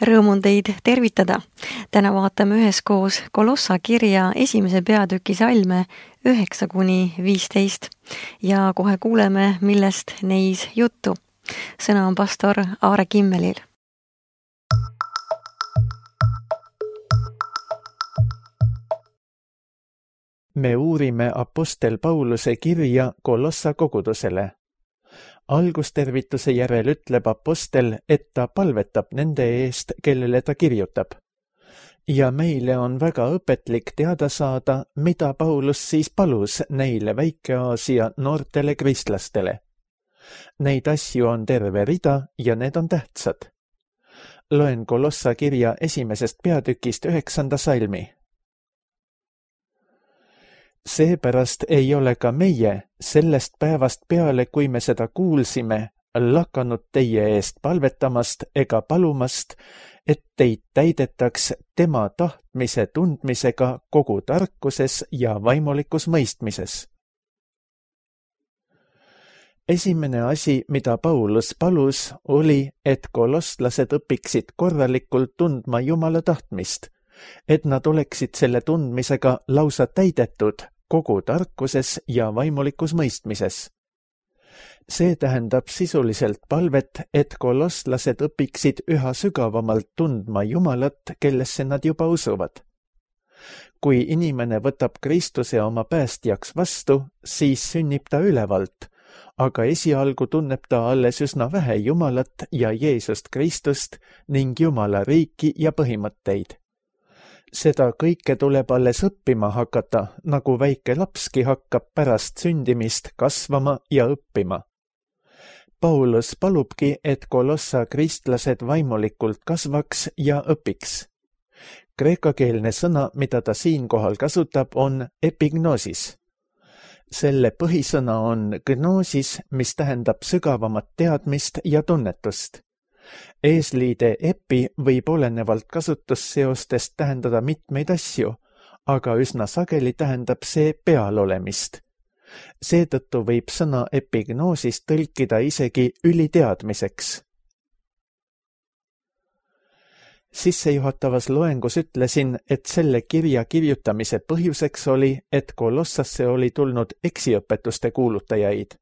Rõõm on teid tervitada. Täna vaatame üheskoos Kolossa kirja 1. peatüki salme 9-15 ja kohe kuuleme, millest neis juttu. Sõna on pastor Aare Kimmelil. Me uurime apostel Pauluse kirja Kolossa kogudusele. Algustervituse järel ütleb apostel, et ta palvetab nende eest, kellele ta kirjutab. Ja meile on väga õpetlik teada saada, mida Paulus siis palus neile Väike-Aasia noortele kristlastele. Neid asju on terve rida ja need on tähtsad. Loen Kolossa kirja 1. peatükist 9. salmi. Seepärast ei ole ka meie sellest päevast peale, kui me seda kuulsime, lakanud teie eest palvetamast ega palumast, et teid täidetaks tema tahtmise tundmisega kogu tarkuses ja vaimulikus mõistmises. Esimene asi, mida Paulus palus, oli, et koloslased õpiksid korralikult tundma Jumala tahtmist, et nad oleksid selle tundmisega lausa täidetud kogu tarkuses ja vaimulikus mõistmises. See tähendab sisuliselt palvet, et koloslased õpiksid üha sügavamalt tundma Jumalat, kellesse nad juba usuvad. Kui inimene võtab Kristuse oma päästjaks vastu, siis sünnib ta ülevalt, aga esialgu tunneb ta alles üsna vähe Jumalat ja Jeesust Kristust ning Jumala riiki ja põhimõtteid. Seda kõike tuleb alles õppima hakata, nagu väike lapski hakkab pärast sündimist kasvama ja õppima. Paulus palubki, et Kolossa kristlased vaimulikult kasvaks ja õpiks. Kreekakeelne sõna, mida ta siinkohal kasutab, on epignosis. Selle põhisõna on gnosis, mis tähendab sügavamat teadmist ja tunnetust. Eesliide epi võib olenevalt kasutusseostest tähendada mitmeid asju, aga üsna sageli tähendab see pealolemist. Seetõttu võib sõna epignosis tõlkida isegi üliteadmiseks. Sissejuhatavas loengus ütlesin, et selle kirja kirjutamise põhjuseks oli, et Kolossasse oli tulnud eksiõpetuste kuulutajaid.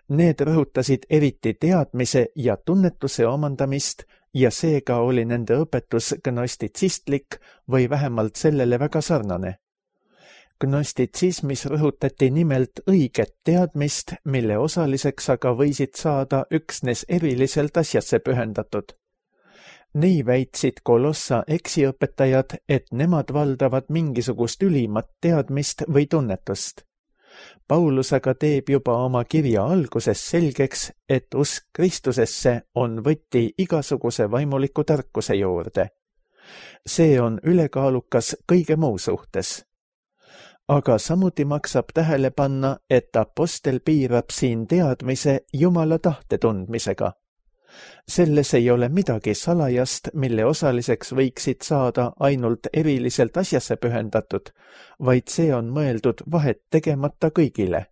Need rõhutasid eriti teadmise ja tunnetuse omandamist ja seega oli nende õpetus gnostitsistlik või vähemalt sellele väga sarnane. Gnostitsismis rõhutati nimelt õiget teadmist, mille osaliseks aga võisid saada üksnes eriliselt asjasse pühendatud. Nii väitsid Kolossa eksiõpetajad, et nemad valdavad mingisugust ülimat teadmist või tunnetust. Paulus aga teeb juba oma kirja alguses selgeks, et usk Kristusesse on võti igasuguse vaimuliku tarkuse juurde. See on ülekaalukas kõige muu suhtes. Aga samuti maksab tähele panna, et apostel piirab siin teadmise Jumala tahte tundmisega. Selles ei ole midagi salajast, mille osaliseks võiksid saada ainult eriliselt asjasse pühendatud, vaid see on mõeldud vahet tegemata kõigile.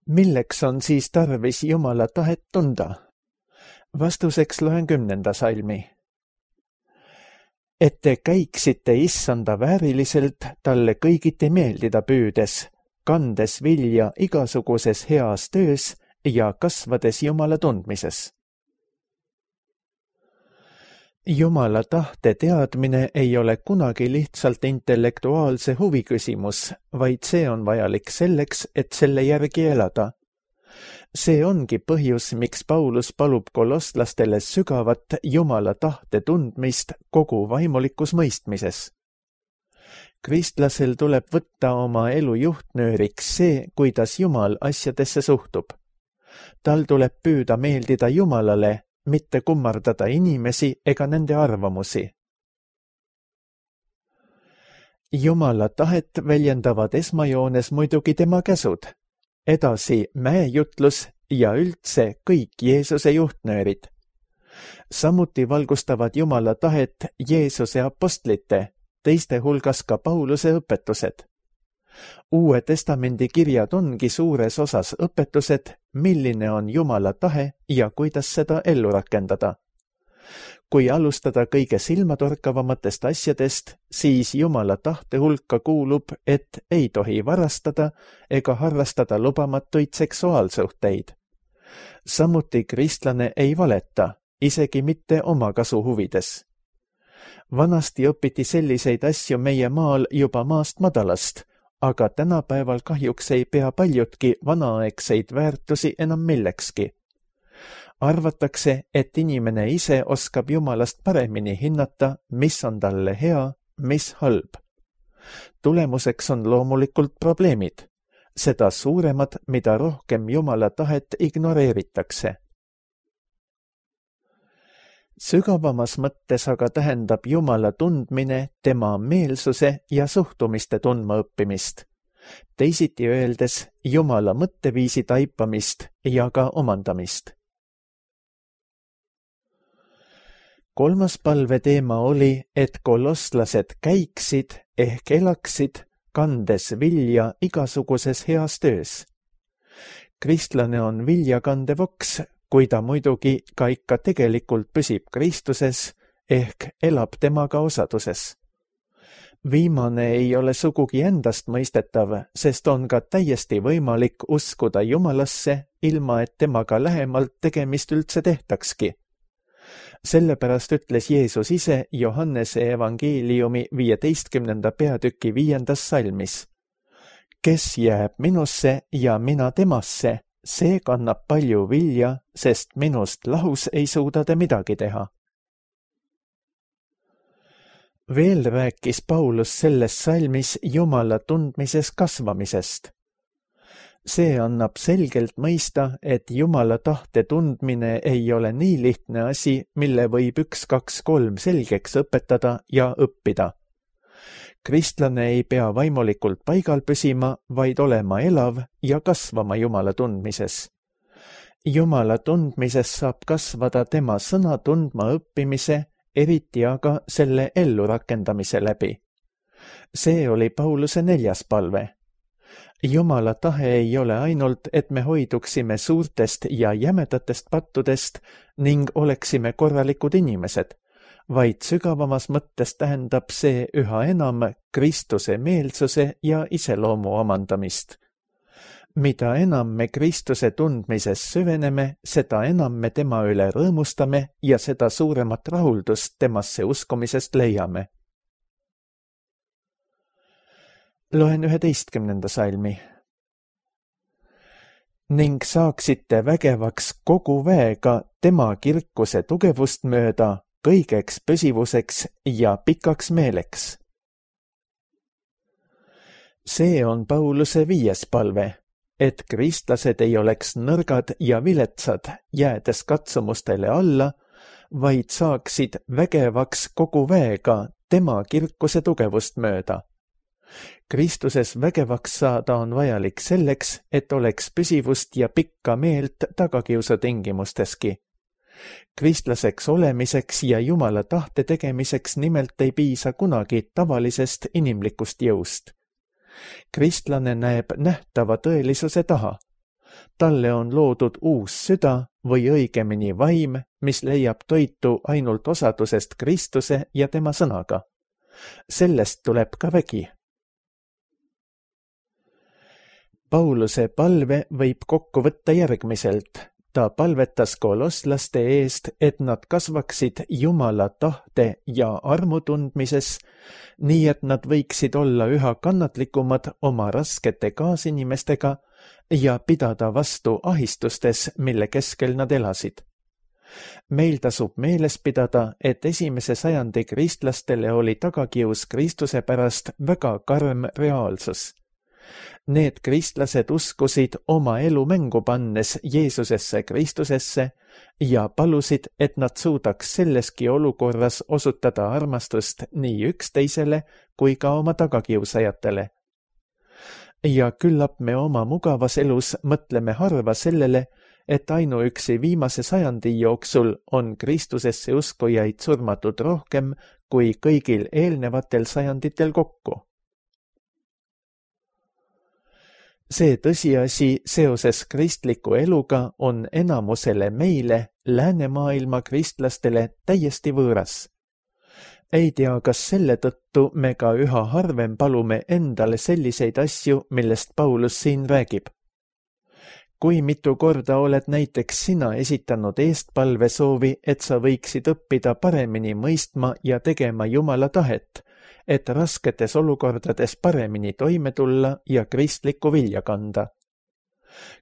Milleks on siis tarvis Jumala tahet tunda? Vastuseks loen 10. salmi. Et te käiksite issanda vääriliselt talle kõigiti meeldida püüdes, kandes vilja igasuguses heas töös ja kasvades Jumala tundmises. Jumala tahte teadmine ei ole kunagi lihtsalt intellektuaalse huvi küsimus, vaid see on vajalik selleks, et selle järgi elada. See ongi põhjus, miks Paulus palub kolosslastele sügavat Jumala tahte tundmist kogu vaimulikus mõistmises. Kristlasel tuleb võtta oma elu juhtnööriks see, kuidas Jumal asjadesse suhtub. Tal tuleb püüda meeldida Jumalale, mitte kummardada inimesi ega nende arvamusi. Jumala tahet väljendavad esmajoones muidugi tema käsud. Edasi mäejutlus ja üldse kõik Jeesuse juhtnöörid. Samuti valgustavad Jumala tahet Jeesuse apostlite, teiste hulgas ka Pauluse õpetused. Uue Testamendi kirjad ongi suures osas õpetused, milline on Jumala tahe ja kuidas seda ellu rakendada. Kui alustada kõige silmatorkavamatest asjadest, siis Jumala tahte hulka kuulub, et ei tohi varastada ega harrastada lubamatuid seksuaalsuhteid. Samuti kristlane ei valeta, isegi mitte oma kasu huvides. Vanasti õpiti selliseid asju meie maal juba maast madalast, aga tänapäeval kahjuks ei pea paljudki vanaaegseid väärtusi enam millekski. Arvatakse, et inimene ise oskab Jumalast paremini hinnata, mis on talle hea, mis halb. Tulemuseks on loomulikult probleemid. Seda suuremad, mida rohkem Jumala tahet ignoreeritakse. Sügavamas mõttes aga tähendab Jumala tundmine tema meelsuse ja suhtumiste tundma õppimist. Teisiti öeldes Jumala mõtteviisi taipamist ja ka omandamist. Kolmas palve teema oli, et kolosslased käiksid ehk elaksid, kandes vilja igasuguses heas töös. Kristlane on viljakandev oks, kui ta muidugi ka ikka tegelikult püsib Kristuses ehk elab temaga osaduses. Viimane ei ole sugugi endast mõistetav, sest on ka täiesti võimalik uskuda Jumalasse, ilma et temaga lähemalt tegemist üldse tehtakski. Sellepärast ütles Jeesus ise Johannese evangeeliumi 15. peatüki 5. salmis. Kes jääb minusse ja mina temasse, see kannab palju vilja, sest minust lahus ei suuda te midagi teha. Veel rääkis Paulus selles salmis Jumala tundmises kasvamisest. See annab selgelt mõista, et Jumala tahte tundmine ei ole nii lihtne asi, mille võib 1, 2, 3 selgeks õpetada ja õppida. Kristlane ei pea vaimulikult paigal püsima, vaid olema elav ja kasvama Jumala tundmises. Jumala tundmises saab kasvada tema sõna tundma õppimise, eriti aga selle ellurakendamise läbi. See oli Pauluse 4. palve. Jumala tahe ei ole ainult, et me hoiduksime suurtest ja jämedatest pattudest ning oleksime korralikud inimesed, vaid sügavamas mõttes tähendab see üha enam Kristuse meelsuse ja iseloomu omandamist. Mida enam me Kristuse tundmises süveneme, seda enam me tema üle rõõmustame ja seda suuremat rahuldust temasse uskumisest leiame. Loen 11. salmi. Ning saaksite vägevaks kogu väega tema kirkuse tugevust mööda, kõigeks püsivuseks ja pikaks meeleks. See on Pauluse 5. palve, et kristlased ei oleks nõrgad ja viletsad, jäädes katsumustele alla, vaid saaksid vägevaks kogu väega tema kirkuse tugevust mööda. Kristuses vägevaks saada on vajalik selleks, et oleks püsivust ja pikka meelt tagakiusu tingimusteski. Kristlaseks olemiseks ja Jumala tahte tegemiseks nimelt ei piisa kunagi tavalisest inimlikust jõust. Kristlane näeb nähtava tõelisuse taha. Talle on loodud uus süda või õigemini vaim, mis leiab toitu ainult osadusest Kristuse ja tema sõnaga. Sellest tuleb ka vägi. Pauluse palve võib kokku võtta järgmiselt. Ta palvetas kolosslaste eest, et nad kasvaksid Jumala tahte ja armu tundmises, nii et nad võiksid olla üha kannatlikumad oma raskete kaasinimestega ja pidada vastu ahistustes, mille keskel nad elasid. Meil tasub meeles pidada, et 1. sajandi kristlastele oli tagakius Kristuse pärast väga karm reaalsus. Need kristlased uskusid oma elu mängu pannes Jeesusesse Kristusesse ja palusid, et nad suudaks selleski olukorras osutada armastust nii üksteisele kui ka oma tagakiusajatele. Ja küllap me oma mugavas elus mõtleme harva sellele, et ainuüksi viimase sajandi jooksul on Kristusesse uskujaid surmatud rohkem kui kõigil eelnevatel sajanditel kokku. See tõsiasi seoses kristliku eluga on enamusele meile, läänemaailma kristlastele, täiesti võõras. Ei tea, kas selle tõttu me ka üha harvem palume endale selliseid asju, millest Paulus siin räägib. Kui mitu korda oled näiteks sina esitanud eestpalvesoovi, et sa võiksid õppida paremini mõistma ja tegema Jumala tahet, et rasketes olukordades paremini toime tulla ja kristlikku vilja kanda.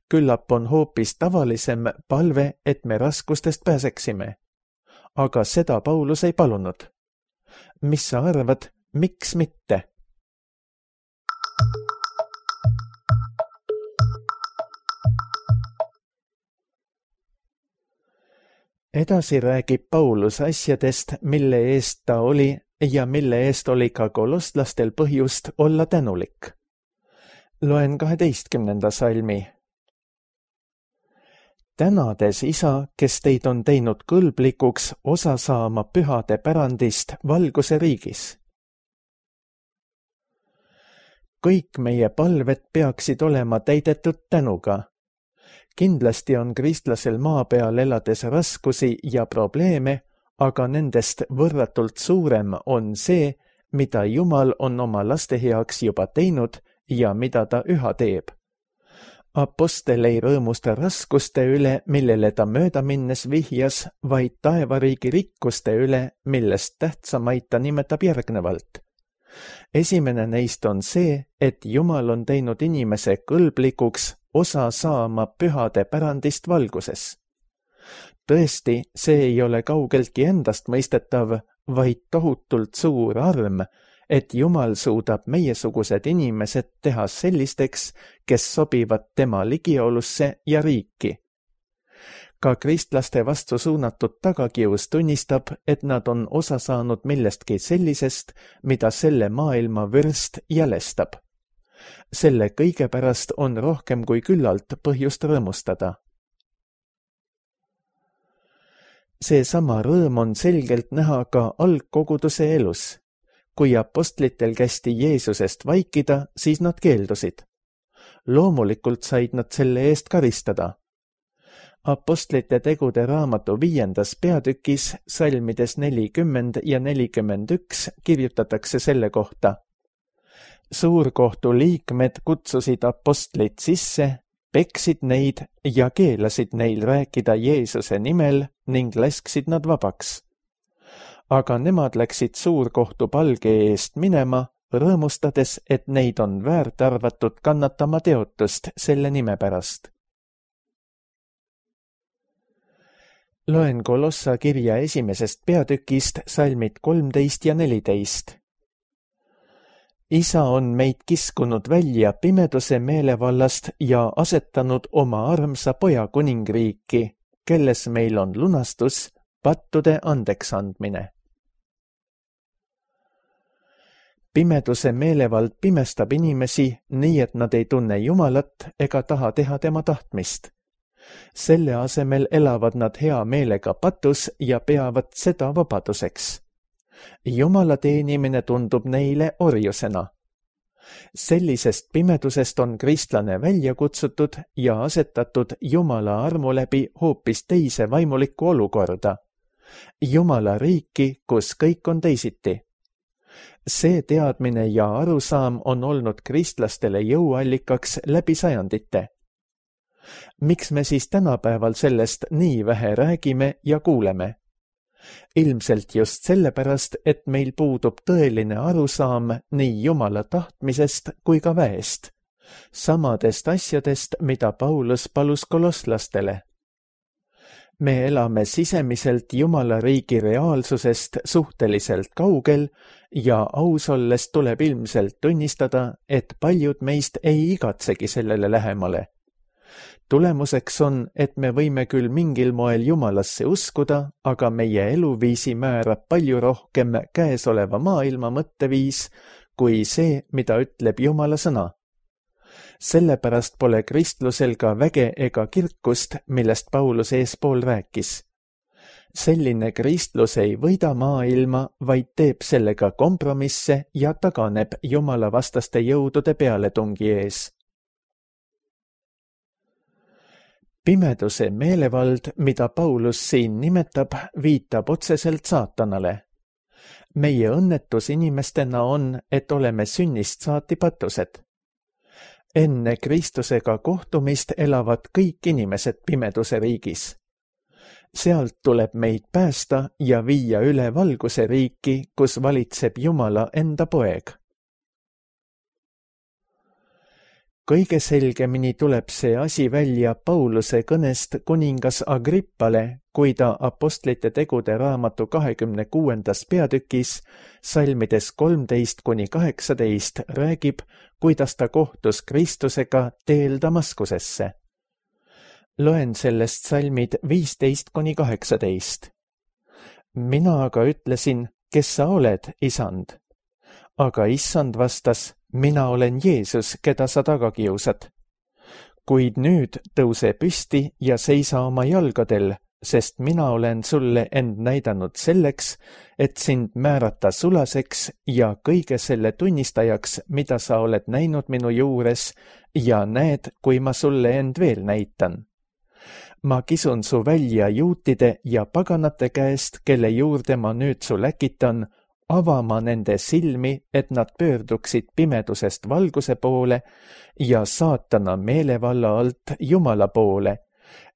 Küllap on hoopis tavalisem palve, et me raskustest pääseksime. Aga seda Paulus ei palunud. Mis sa arvad, miks mitte? Edasi räägib Paulus asjadest, mille eest ta oli ja mille eest oli ka koloslastel põhjust olla tänulik. Loen 12. salmi. Tänades Isa, kes teid on teinud kõlblikuks osa saama pühade pärandist valguse riigis. Kõik meie palved peaksid olema täidetud tänuga. Kindlasti on kristlasel maa peal elades raskusi ja probleeme, aga nendest võrratult suurem on see, mida Jumal on oma laste heaks juba teinud ja mida ta üha teeb. Apostel ei rõõmusta raskuste üle, millele ta mööda minnes vihjas, vaid taevariigi rikkuste üle, millest tähtsamaid ta nimetab järgnevalt. Esimene neist on see, et Jumal on teinud inimese kõlblikuks osa saama pühade pärandist valguses. Tõesti, see ei ole kaugeltki endast mõistetav, vaid tohutult suur arm, et Jumal suudab meiesugused inimesed teha sellisteks, kes sobivad tema ligiolusse ja riiki. Ka kristlaste vastu suunatud tagakius tunnistab, et nad on osa saanud millestki sellisest, mida selle maailma vürst jälestab. Selle kõige pärast on rohkem kui küllalt põhjust rõõmustada. Seesama rõõm on selgelt näha ka algkoguduse elus. Kui apostlitel kästi Jeesusest vaikida, siis nad keeldusid. Loomulikult said nad selle eest karistada. Apostlite tegude raamatu 5. peatükis, salmides 40 ja 41 kirjutatakse selle kohta. Suurkohtu liikmed kutsusid apostlid sisse, peksid neid ja keelasid neil rääkida Jeesuse nimel ning lasksid nad vabaks. Aga nemad läksid suurkohtu palge eest minema, rõõmustades, et neid on väärt arvatud kannatama teotust selle nime pärast. Loen Kolossa kirja 1. peatükist salmid 13 ja 14. Isa on meid kiskunud välja pimeduse meelevallast ja asetanud oma armsa poja kuningriiki, kelles meil on lunastus, pattude andeksandmine. Pimeduse meelevald pimestab inimesi nii, et nad ei tunne Jumalat ega taha teha tema tahtmist. Selle asemel elavad nad hea meelega patus ja peavad seda vabaduseks. Jumala teenimine tundub neile orjusena. Sellisest pimedusest on kristlane välja kutsutud ja asetatud Jumala armu läbi hoopis teise vaimulikku olukorda. Jumala riiki, kus kõik on teisiti. See teadmine ja arusaam on olnud kristlastele jõuallikaks läbi sajandite. Miks me siis tänapäeval sellest nii vähe räägime ja kuuleme? Ilmselt just sellepärast, et meil puudub tõeline arusaam nii Jumala tahtmisest kui ka väest, samadest asjadest, mida Paulus palus kolosslastele. Me elame sisemiselt Jumala riigi reaalsusest suhteliselt kaugel ja aus olles tuleb ilmselt tunnistada, et paljud meist ei igatsegi sellele lähemale. Tulemuseks on, et me võime küll mingil moel Jumalasse uskuda, aga meie eluviisi määrab palju rohkem käesoleva maailma mõtteviis kui see, mida ütleb Jumala sõna. Sellepärast pole kristlusel ka väge ega kirkust, millest Paulus eespool rääkis. Selline kristlus ei võida maailma, vaid teeb sellega kompromisse ja taganeb Jumala vastaste jõudude pealetungi ees. Pimeduse meelevald, mida Paulus siin nimetab, viitab otseselt saatanale. Meie õnnetus inimestena on, et oleme sünnist saati patused. Enne Kristusega kohtumist elavad kõik inimesed pimeduse riigis. Sealt tuleb meid päästa ja viia üle valguse riiki, kus valitseb Jumala enda poeg. Kõige selgemini tuleb see asi välja Pauluse kõnest kuningas Agrippale, kui ta Apostlite tegude raamatu 26. peatükis salmides 13–18 räägib, kuidas ta kohtus Kristusega teel Damaskusesse. Loen sellest salmid 15–18. Mina aga ütlesin, kes sa oled, Isand? Aga Issand vastas, mina olen Jeesus, keda sa taga kiusad. Kuid nüüd tõuse püsti ja seisa oma jalgadel, sest mina olen sulle end näidanud selleks, et sind määrata sulaseks ja kõige selle tunnistajaks, mida sa oled näinud minu juures, ja näed, kui ma sulle end veel näitan. Ma kisun su välja juutide ja paganate käest, kelle juurde ma nüüd su läkitan, avama nende silmi, et nad pöörduksid pimedusest valguse poole ja saatana meelevalla alt Jumala poole,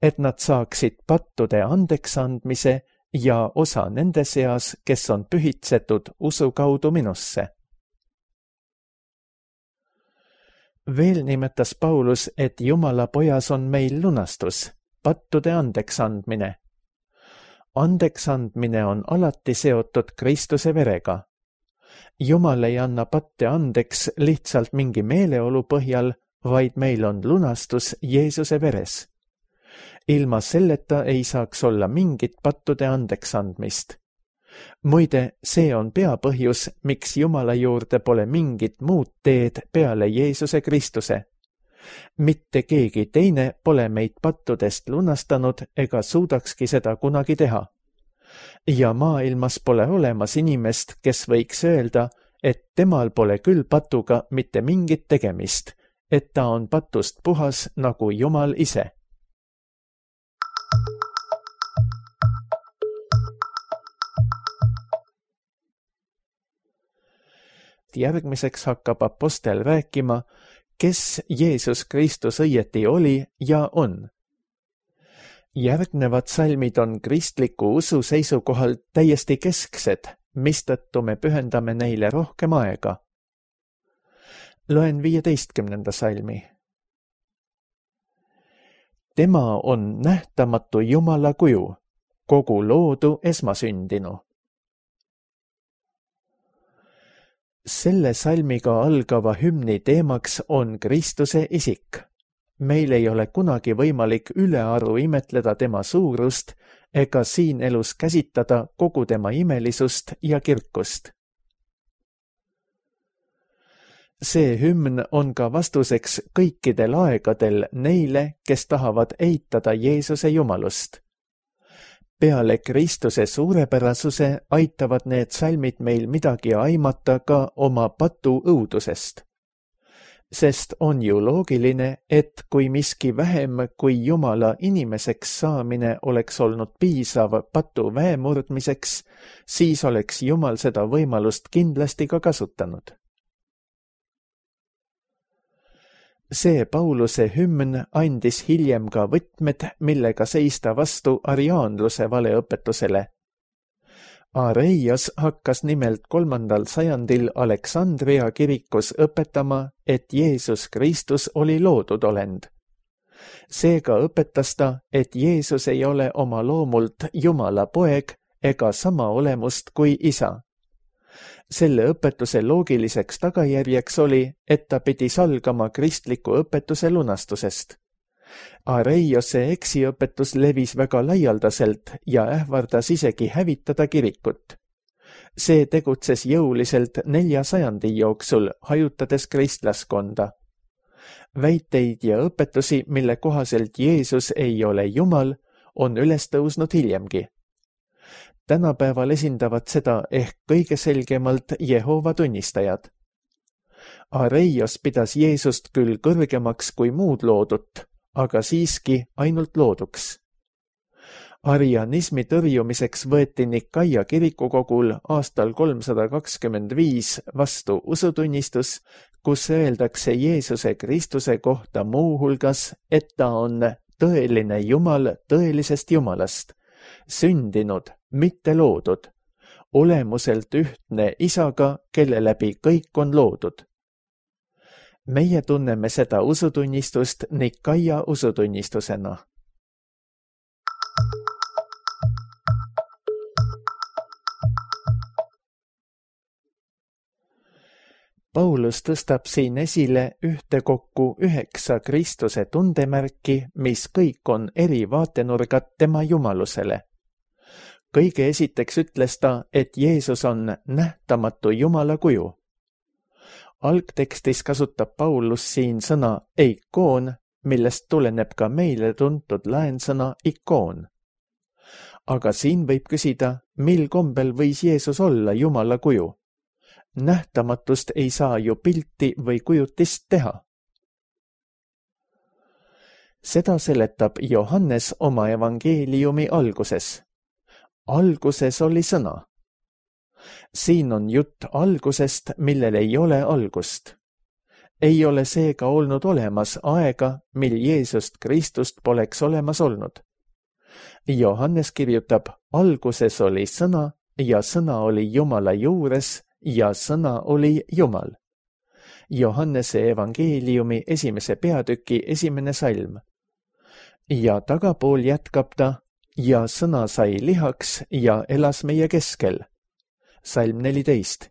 et nad saaksid pattude andeks andmise ja osa nende seas, kes on pühitsetud usu kaudu minusse. Veel nimetas Paulus, et Jumala pojas on meil lunastus, pattude andeks andmine. Andeks andmine on alati seotud Kristuse verega. Jumal ei anna patte andeks lihtsalt mingi meeleolu põhjal, vaid meil on lunastus Jeesuse veres. Ilma selleta ei saaks olla mingit pattude andeks andmist. Muide, see on peapõhjus, miks Jumala juurde pole mingit muud teed peale Jeesuse Kristuse. Mitte keegi teine pole meid pattudest lunastanud ega suudakski seda kunagi teha. Ja maailmas pole olemas inimest, kes võiks öelda, et temal pole küll patuga mitte mingit tegemist, et ta on patust puhas nagu Jumal ise. Järgmiseks hakkab apostel rääkima, kes Jeesus Kristus õieti oli ja on. Järgnevad salmid on kristliku usu seisukohalt täiesti kesksed, mistõttu me pühendame neile rohkem aega. Loen 15. salmi. Tema on nähtamatu Jumala kuju, kogu loodu esmasündinu. Selle salmiga algava hümni teemaks on Kristuse isik. Meil ei ole kunagi võimalik ülearu imetleda tema suurust ega siin elus käsitada kogu tema imelisust ja kirkust. See hümn on ka vastuseks kõikidel aegadel neile, kes tahavad eitada Jeesuse jumalust. Peale Kristuse suurepärasuse aitavad need salmid meil midagi aimata ka oma patu õudusest. Sest on ju loogiline, et kui miski vähem kui Jumala inimeseks saamine oleks olnud piisav patu väemurdmiseks, siis oleks Jumal seda võimalust kindlasti ka kasutanud. See Pauluse hümn andis hiljem ka võtmed, millega seista vastu ariaanluse valeõpetusele. Areios hakkas nimelt 3. sajandil Aleksandria kirikus õpetama, et Jeesus Kristus oli loodud olend. Seega õpetas ta, et Jeesus ei ole oma loomult Jumala poeg ega sama olemust kui isa. Selle õpetuse loogiliseks tagajärjeks oli, et ta pidi salgama kristliku õpetuse lunastusest. Areiose eksiõpetus levis väga laialdaselt ja ähvardas isegi hävitada kirikut. See tegutses jõuliselt 4 sajandi jooksul, hajutades kristlaskonda. Väiteid ja õpetusi, mille kohaselt Jeesus ei ole Jumal, on üles tõusnud hiljemgi. Tänapäeval esindavad seda ehk kõige selgemalt Jehova tunnistajad. Areios pidas Jeesust küll kõrgemaks kui muud loodut, aga siiski ainult looduks. Arianismi tõrjumiseks võeti Nikaia kirikukogul aastal 325 vastu usutunnistus, kus öeldakse Jeesuse Kristuse kohta muuhulgas, et ta on tõeline Jumal tõelisest Jumalast, sündinud, mitte loodud, olemuselt ühtne Isaga, kelle läbi kõik on loodud. Meie tunneme seda usutunnistust Nikaia usutunnistusena. Paulus tõstab siin esile ühtekokku 9 Kristuse tundemärki, mis kõik on eri vaatenurgad tema jumalusele. Kõige esiteks ütles ta, et Jeesus on nähtamatu Jumala kuju. Algtekstis kasutab Paulus siin sõna eikoon, millest tuleneb ka meile tuntud laensõna ikoon. Aga siin võib küsida, mil kombel võis Jeesus olla Jumala kuju? Nähtamatust ei saa ju pilti või kujutist teha. Seda seletab Johannes oma evangeeliumi alguses. Alguses oli sõna. Siin on jutt algusest, millel ei ole algust. Ei ole seega olnud olemas aega, mil Jeesust Kristust poleks olemas olnud. Johannes kirjutab, alguses oli sõna ja sõna oli Jumala juures ja sõna oli Jumal. Johannese evangeeliumi 1. peatüki 1. salm. Ja tagapool jätkab ta, ja sõna sai lihaks ja elas meie keskel. Salm 14.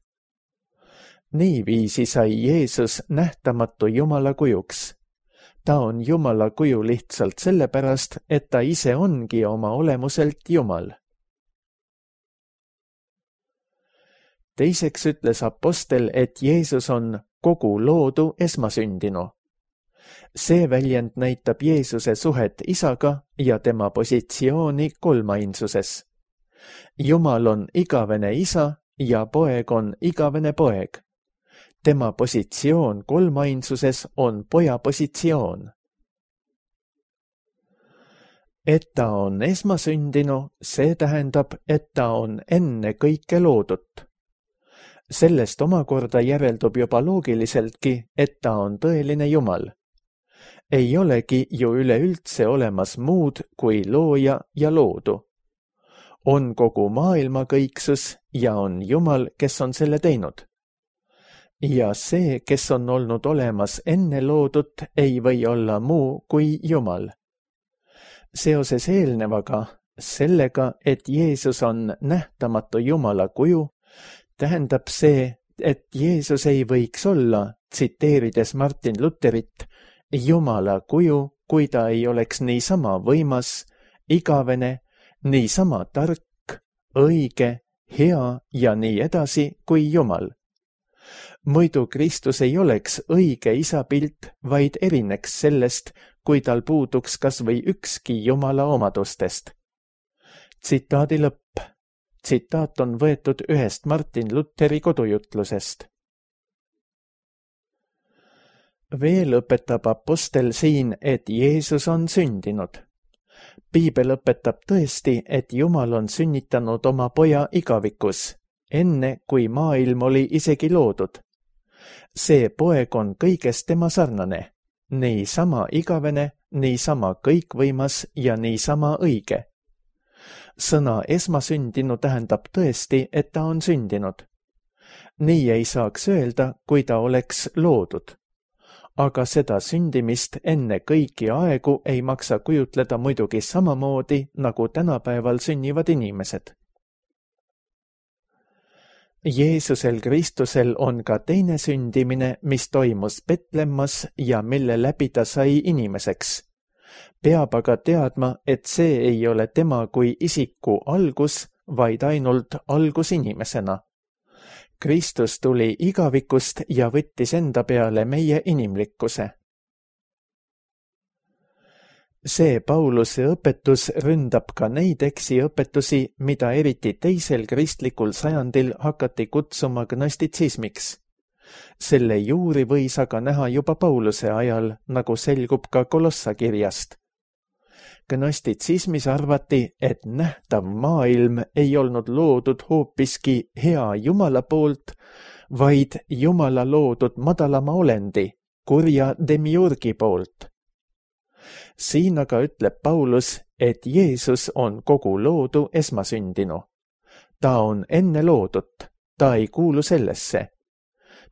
Niiviisi sai Jeesus nähtamatu Jumala kujuks. Ta on Jumala kuju lihtsalt sellepärast, et ta ise ongi oma olemuselt Jumal. Teiseks ütles apostel, et Jeesus on kogu loodu esmasündinu. See väljend näitab Jeesuse suhet Isaga ja tema positsiooni kolmainsuses. Jumal on igavene Isa ja poeg on igavene poeg. Tema positsioon kolmainsuses on poja positsioon. Et ta on esmasündinu, see tähendab, et ta on enne kõike loodut. Sellest omakorda järeldub juba loogiliseltki, et ta on tõeline Jumal. Ei olegi ju üleüldse olemas muud kui looja ja loodu. On kogu maailma kõiksus ja on Jumal, kes on selle teinud. Ja see, kes on olnud olemas enne loodut, ei või olla muu kui Jumal. Seoses eelnevaga, sellega, et Jeesus on nähtamatu Jumala kuju, tähendab see, et Jeesus ei võiks olla, tsiteerides Martin Luterit, Jumala kuju, kui ta ei oleks niisama võimas, igavene, niisama tark, õige, hea ja nii edasi kui Jumal. Muidu Kristus ei oleks õige isapilt, vaid erineks sellest, kui tal puuduks kas või ükski Jumala omadustest. Tsitaadi lõpp. Tsitaat on võetud ühest Martin Luteri kodujutlusest. Veel õpetab apostel siin, et Jeesus on sündinud. Piibel õpetab tõesti, et Jumal on sünnitanud oma poja igavikus, enne kui maailm oli isegi loodud. See poeg on kõigest tema sarnane, niisama igavene, niisama kõikvõimas ja niisama õige. Sõna esmasündinu tähendab tõesti, et ta on sündinud. Nii ei saaks öelda, kui ta oleks loodud. Aga seda sündimist enne kõiki aegu ei maksa kujutleda muidugi samamoodi, nagu tänapäeval sünnivad inimesed. Jeesusel Kristusel on ka teine sündimine, mis toimus Betlemmas ja mille läbi ta sai inimeseks. Peab aga teadma, et see ei ole tema kui isiku algus, vaid ainult algus inimesena. Kristus tuli igavikust ja võttis enda peale meie inimlikkuse. See Pauluse õpetus ründab ka neid eksiõpetusi, mida eriti teisel kristlikul sajandil hakati kutsuma gnostitsismiks. Selle juuri võis aga näha juba Pauluse ajal, nagu selgub ka Kolossa kirjast. Gnostitsismis arvati, et nähtav maailm ei olnud loodud hoopiski hea Jumala poolt, vaid Jumala loodud madalama olendi, kurja demiurgi poolt. Siin aga ütleb Paulus, et Jeesus on kogu loodu esmasündinu. Ta on enne loodut, ta ei kuulu sellesse.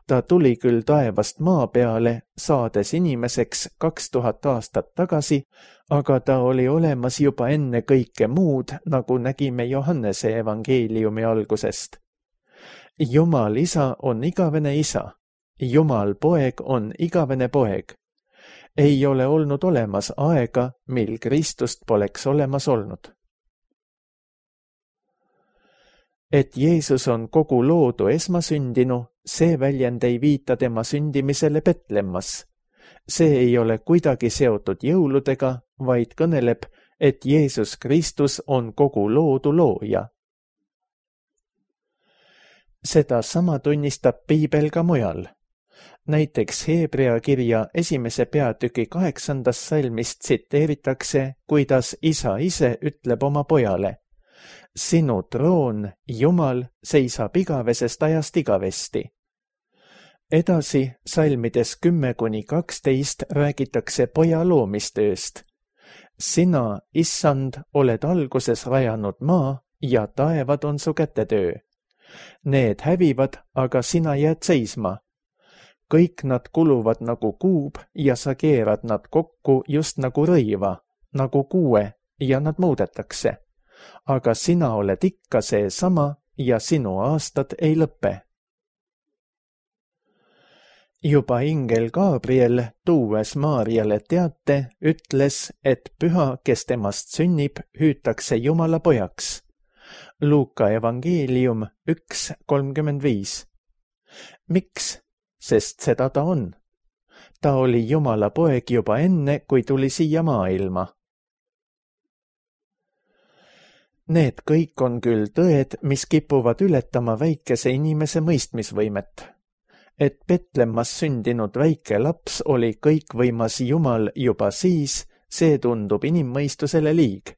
Ta tuli küll taevast maa peale, saades inimeseks 2000 aastat tagasi, aga ta oli olemas juba enne kõike muud, nagu nägime Johannese evangeeliumi algusest. Jumal isa on igavene isa, Jumal poeg on igavene poeg. Ei ole olnud olemas aega, mil Kristust poleks olemas olnud. Et Jeesus on kogu loodu esmasündinu, see väljend ei viita tema sündimisele Betlemmas. See ei ole kuidagi seotud jõuludega, vaid kõneleb, et Jeesus Kristus on kogu loodu looja. Seda sama tunnistab Piibel ka mujal. Näiteks Hebrea kirja 1. peatüki 8. salmist tsiteeritakse, kuidas isa ise ütleb oma pojale: sinu troon, Jumal, seisab igavesest ajast igavesti. Edasi salmides 10-12 räägitakse poja loomistööst. Sina, issand, oled alguses rajanud maa ja taevad on su kätetöö. Need hävivad, aga sina jääd seisma. Kõik nad kuluvad nagu kuub ja sa keerad nad kokku just nagu rõiva, nagu kuue ja nad muudetakse. Aga sina oled ikka seesama ja sinu aastad ei lõppe. Juba ingel Gabriel, tuues Maarjale teate, ütles, et püha, kes temast sünnib, hüütakse Jumala pojaks. Luuka evangeelium 1:35. Miks? Sest seda ta on. Ta oli Jumala poeg juba enne, kui tuli siia maailma. Need kõik on küll tõed, mis kipuvad ületama väikese inimese mõistmisvõimet. Et Betlemmas sündinud väike laps oli kõikvõimas Jumal juba siis, see tundub inimmõistusele liig.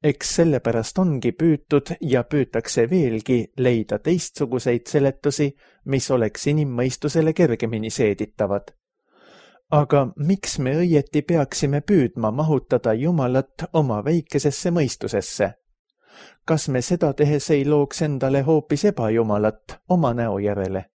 Eks sellepärast ongi püütud ja püütakse veelgi leida teistsuguseid seletusi, mis oleks inimmõistusele kergemini seeditavad. Aga miks me õieti peaksime püüdma mahutada Jumalat oma väikesesse mõistusesse? Kas me seda tehes ei looks endale hoopis ebajumalat oma näo järele?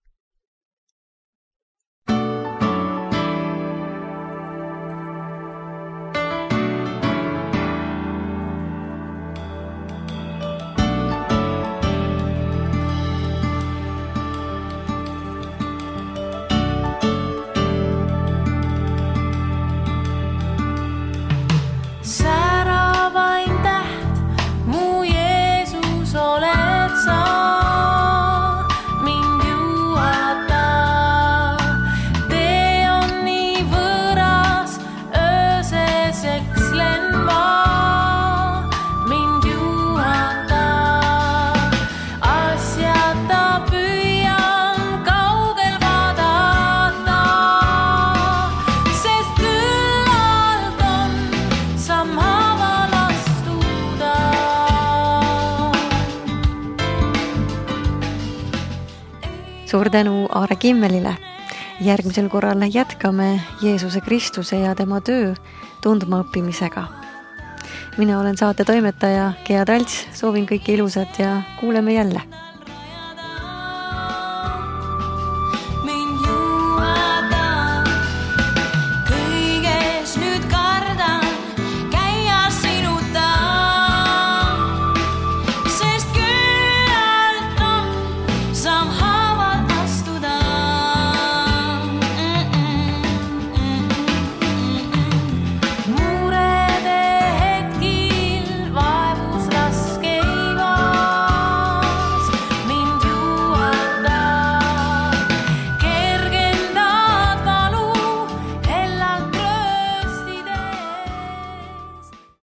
Suur tänu Aare Kimmelile. Järgmisel korral jätkame Jeesuse Kristuse ja tema töö tundma õppimisega. Mina olen saate toimetaja Gea Talts, soovin kõike ilusat ja kuuleme jälle.